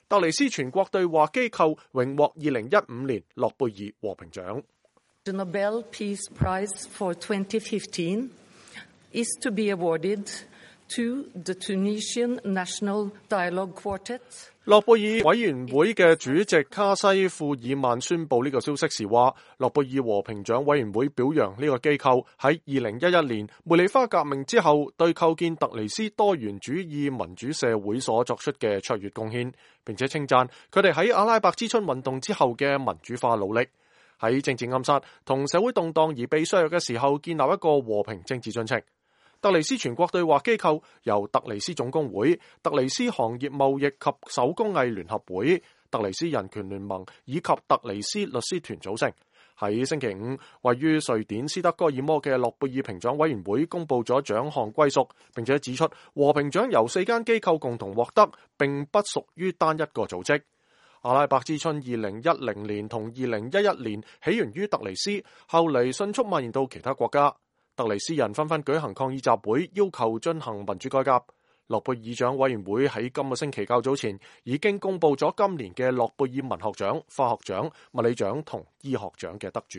特尼斯全國對話機構榮獲2015年諾貝爾和平獎。The Nobel Peace Prize for 2015 is to be awarded to the Tunisian National Dialogue Quartet。諾貝爾委員會嘅主席卡西庫爾曼宣布呢個消息時話，諾貝爾和平獎委員會表揚呢個機構喺2011年茉莉花革命之後對構建突尼斯多元主義民主社會所作出嘅卓越貢獻，並且稱讚佢哋喺阿拉伯之春運動之後嘅民主化努力，喺政治暗殺同社會動盪而被削弱嘅時候建立一個和平政治進程。突尼斯全國對話機構由突尼斯總工會、突尼斯行業貿易及手工藝聯合會、突尼斯人權聯盟以及突尼斯律師團組成。喺星期五，位於瑞典斯德哥爾摩嘅諾貝爾評獎委員會公布咗獎項歸屬，並且指出和平獎由4間機構共同獲得，並不屬於單一個組織。阿拉伯之春2010年同2011年起源於突尼斯，後嚟迅速蔓延到其他國家。突尼斯人紛紛舉行抗議集會，要求進行民主改革。諾貝爾獎委員會喺今個星期較早前已經公布咗今年嘅諾貝爾文學獎、化學獎、物理獎同醫學獎嘅得主。